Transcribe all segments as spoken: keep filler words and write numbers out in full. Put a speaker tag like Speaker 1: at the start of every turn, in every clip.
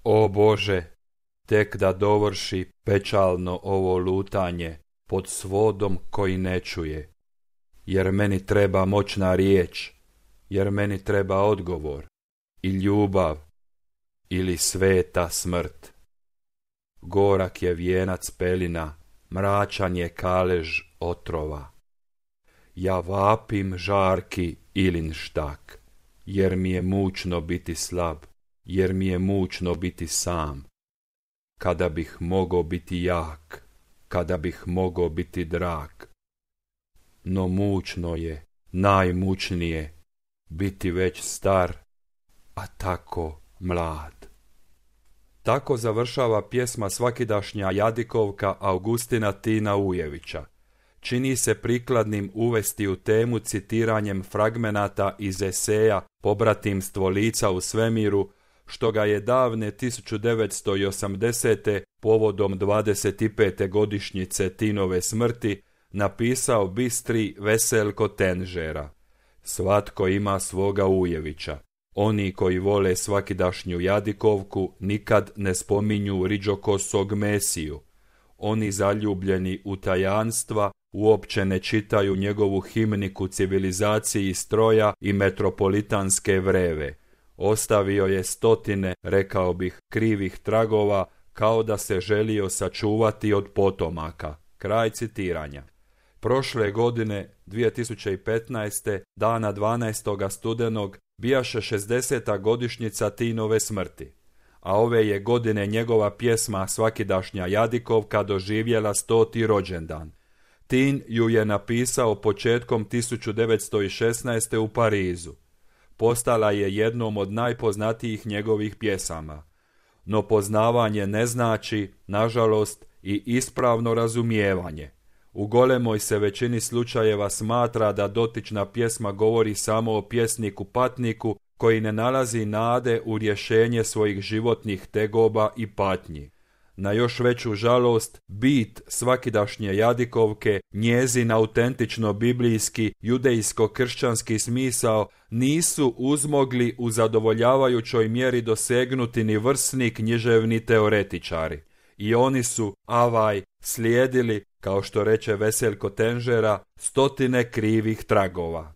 Speaker 1: O Bože, tek da dovrši pečalno ovo lutanje pod svodom koji ne čuje, jer meni treba moćna riječ, jer meni treba odgovor i ljubav ili sveta smrt. Gorak je vijenac pelina, mračan je kalež otrova. Ja vapim žarki ilin štak, jer mi je mučno biti slab, jer mi je mučno biti sam. Kada bih mogao biti jak, kada bih mogao biti drag. No mučno je, najmučnije, biti već star, a tako mlad. Tako završava pjesma svakidašnja jadikovka Augustina Tina Ujevića. Čini se prikladnim uvesti u temu citiranjem fragmenata iz eseja Pobratimstvo lica u svemiru, što ga je davne tisuću devetsto osamdesete povodom dvadeset pete godišnjice Tinove smrti napisao bistri Veselko Tenžera. Svatko ima svoga Ujevića. Oni koji vole svakidašnju jadikovku nikad ne spominju riđokosog Mesiju. Oni zaljubljeni u tajanstva uopće ne čitaju njegovu himniku civilizaciji stroja i metropolitanske vreve. Ostavio je stotine, rekao bih, krivih tragova, kao da se želio sačuvati od potomaka. Kraj citiranja. Prošle godine, dvije tisuće petnaeste. dana dvanaestog studenog, bijaše šezdeseta godišnjica Tinove smrti, a ove je godine njegova pjesma Svakidašnja jadikovka doživjela stoti rođendan. Tin ju je napisao početkom tisuću devetsto šesnaeste. u Parizu. Postala je jednom od najpoznatijih njegovih pjesama. No poznavanje ne znači, nažalost, i ispravno razumijevanje. U golemoj se većini slučajeva smatra da dotična pjesma govori samo o pjesniku patniku koji ne nalazi nade u rješenje svojih životnih tegoba i patnji. Na još veću žalost, bit svakidašnje jadikovke, njezin autentično biblijski, judejsko-kršćanski smisao nisu uzmogli u zadovoljavajućoj mjeri dosegnuti ni vrsni književni teoretičari. I oni su, avaj, slijedili, kao što reče Veselko Tenžera, stotine krivih tragova.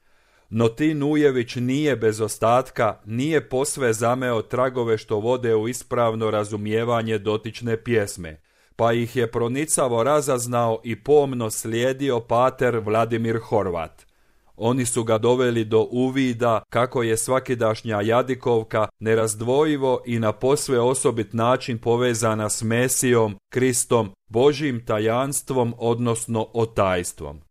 Speaker 1: No Tin Ujević nije bez ostatka, nije posve zameo tragove što vode u ispravno razumijevanje dotične pjesme, pa ih je pronicavo razaznao i pomno slijedio pater Vladimir Horvat. Oni su ga doveli do uvida kako je svakidašnja jadikovka nerazdvojivo i na posve osobit način povezana s Mesijom, Kristom, Božjim tajanstvom, odnosno otajstvom.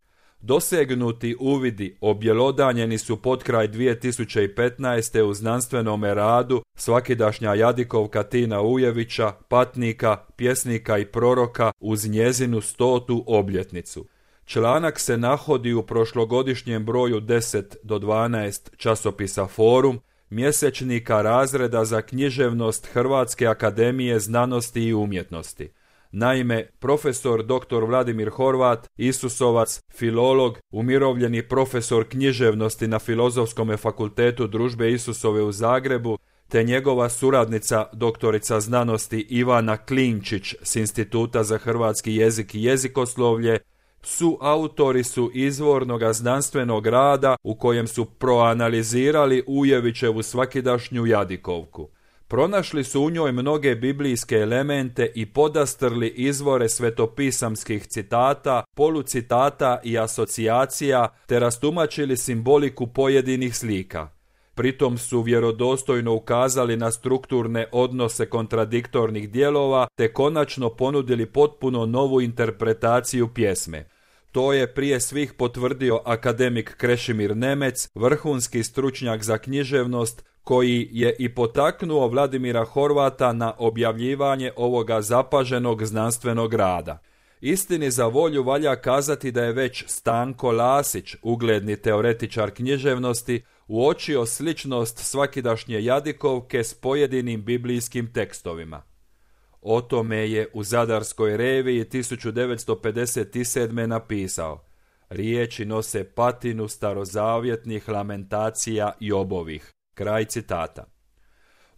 Speaker 1: Dosegnuti uvidi objelodanjeni su potkraj dvije tisuće petnaeste. u znanstvenome radu Svakidašnja jadikovka Tina Ujevića, patnika, pjesnika i proroka uz njezinu stotu obljetnicu. Članak se nahodi u prošlogodišnjem broju deset do dvanaest časopisa Forum, mjesečnika razreda za književnost Hrvatske akademije znanosti i umjetnosti. Naime, profesor doktor Vladimir Horvat, Isusovac, filolog, umirovljeni profesor književnosti na Filozofskom fakultetu Družbe Isusove u Zagrebu, te njegova suradnica doktorica znanosti Ivana Klinčić s Instituta za hrvatski jezik i jezikoslovlje, su autori su izvornoga znanstvenog rada u kojem su proanalizirali Ujevićevu svakidašnju jadikovku. Pronašli su u njoj mnoge biblijske elemente i podastrli izvore svetopisamskih citata, polucitata i asocijacija, te rastumačili simboliku pojedinih slika. Pritom su vjerodostojno ukazali na strukturne odnose kontradiktornih dijelova, te konačno ponudili potpuno novu interpretaciju pjesme. To je prije svih potvrdio akademik Krešimir Nemec, vrhunski stručnjak za književnost, koji je i potaknuo Vladimira Horvata na objavljivanje ovoga zapaženog znanstvenog rada. Istini za volju valja kazati da je već Stanko Lasić, ugledni teoretičar književnosti, uočio sličnost svakidašnje jadikovke s pojedinim biblijskim tekstovima. O tome je u Zadarskoj reviji tisuću devetsto pedeset sedme. napisao: riječi nose patinu starozavjetnih lamentacija i obovih. Kraj citata.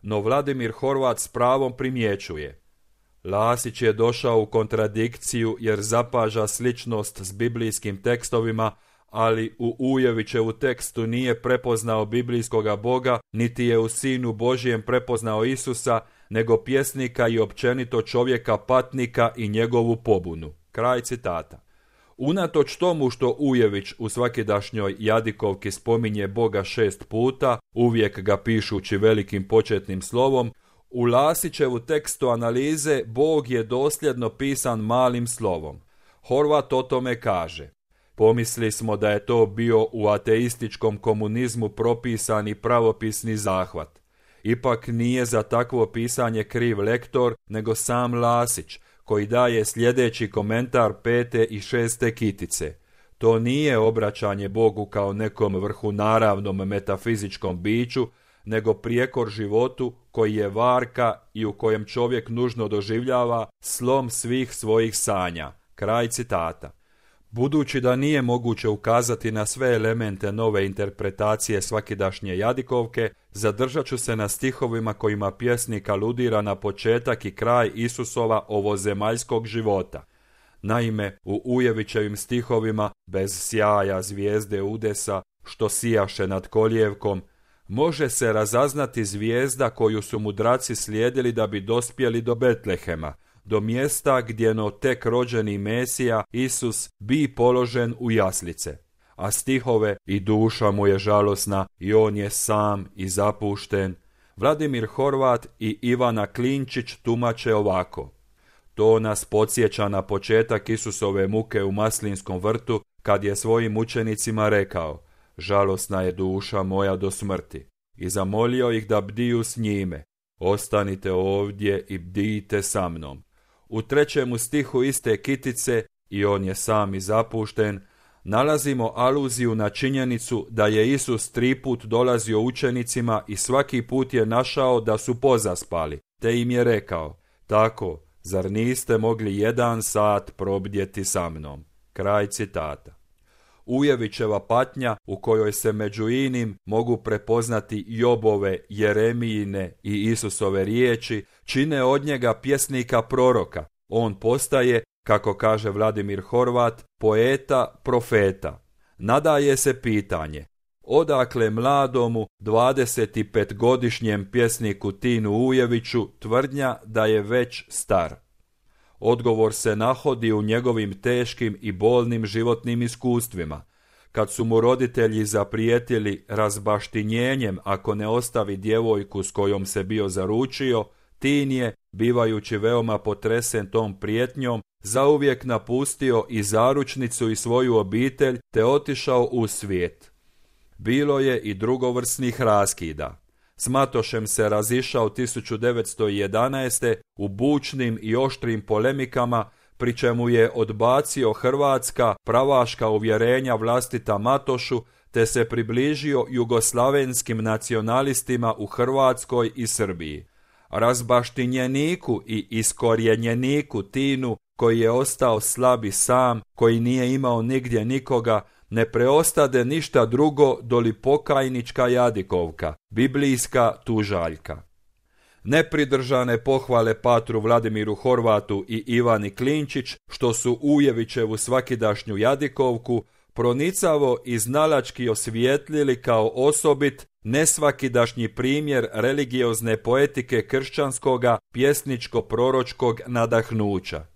Speaker 1: no Vladimir Horvat s pravom primjećuje: Lasić je došao u kontradikciju jer zapaža sličnost s biblijskim tekstovima, ali u Ujevićevu tekstu nije prepoznao biblijskoga Boga, niti je u Sinu Božijem prepoznao Isusa, nego pjesnika i općenito čovjeka patnika i njegovu pobunu. Kraj citata. Unatoč tomu što Ujević u svakidašnjoj jadikovki spominje Boga šest puta, uvijek ga pišući velikim početnim slovom, u Lasićevu tekstu analize Bog je dosljedno pisan malim slovom. Horvat o tome kaže: Pomisli smo da je to bio u ateističkom komunizmu propisani pravopisni zahvat. Ipak nije za takvo pisanje kriv lektor, nego sam Lasić, koji daje sljedeći komentar pete i šeste kitice. To nije obraćanje Bogu kao nekom vrhunaravnom metafizičkom biću, nego prijekor životu koji je varka i u kojem čovjek nužno doživljava slom svih svojih sanja. Kraj citata. Budući da nije moguće ukazati na sve elemente nove interpretacije svakidašnje jadikovke, zadržat ću se na stihovima kojima pjesnik aludira na početak i kraj Isusova ovozemaljskog života. Naime, u Ujevićevim stihovima, bez sjaja zvijezde udesa, što sijaše nad kolijevkom, može se razaznati zvijezda koju su mudraci slijedili da bi dospjeli do Betlehema, do mjesta gdje no tek rođeni Mesija, Isus, bi položen u jaslice. A stihove i duša mu je žalosna i on je sam i zapušten, Vladimir Horvat i Ivana Klinčić tumače ovako: To nas podsjeća na početak Isusove muke u Maslinskom vrtu, kad je svojim učenicima rekao: Žalosna je duša moja do smrti. I zamolio ih da bdiju s njime: Ostanite ovdje i bdijte sa mnom. U trećemu stihu iste kitice, i on je sam i zapušten, nalazimo aluziju na činjenicu da je Isus tri put dolazio učenicima i svaki put je našao da su pozaspali, te im je rekao: Tako, zar niste mogli jedan sat probdjeti sa mnom? Kraj citata. Ujevićeva patnja, u kojoj se među inim mogu prepoznati Jobove, Jeremijine i Isusove riječi, čine od njega pjesnika proroka. On postaje, kako kaže Vladimir Horvat, poeta profeta. Nadaje se pitanje: odakle mladomu dvadesetipetogodišnjem pjesniku Tinu Ujeviću tvrdnja da je već star? Odgovor se nahodi u njegovim teškim i bolnim životnim iskustvima. Kad su mu roditelji zaprijetili razbaštinjenjem ako ne ostavi djevojku s kojom se bio zaručio, Tin je, bivajući veoma potresen tom prijetnjom, zauvijek napustio i zaručnicu i svoju obitelj te otišao u svijet. Bilo je i drugovrsnih raskida. S Matošem se razišao tisuću devetsto jedanaeste. u bučnim i oštrim polemikama, pri čemu je odbacio hrvatska pravaška uvjerenja vlastita Matošu, te se približio jugoslavenskim nacionalistima u Hrvatskoj i Srbiji. Razbaštinjeniku i iskorjenjeniku Tinu, koji je ostao slab i sam, koji nije imao nigdje nikoga, ne preostade ništa drugo doli pokajnička jadikovka, biblijska tužaljka. Nepridržane pohvale patru Vladimiru Horvatu i Ivani Klinčić, što su Ujevićevu svakidašnju jadikovku pronicavo i znalački osvijetlili kao osobit nesvakidašnji primjer religiozne poetike kršćanskoga pjesničko-proročkog nadahnuća.